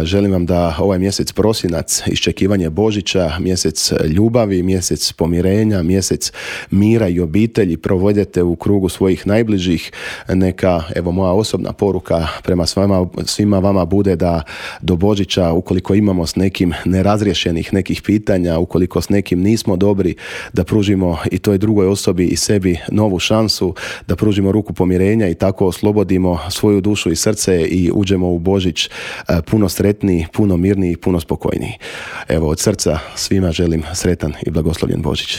Želim vam da ovaj mjesec prosinac, iščekivanje Božića, mjesec ljubavi, mjesec pomirenja, mjesec mira i obitelji provedete u krugu svojih najbližih. Neka, evo, moja osobna poruka prema svima vama bude da do Božića, ukoliko imamo s nekim nerazriješenih nekih pitanja, ukoliko s nekim nismo dobri, da pružimo i toj drugoj osobi i sebi novu šansu, da pružimo ruku pomirenja i tako oslobodimo svoju dušu i srce i uđemo u Božić puno sretniji, puno mirniji, puno spokojniji. Evo, od srca svima želim sretan i blagoslovljen Božić.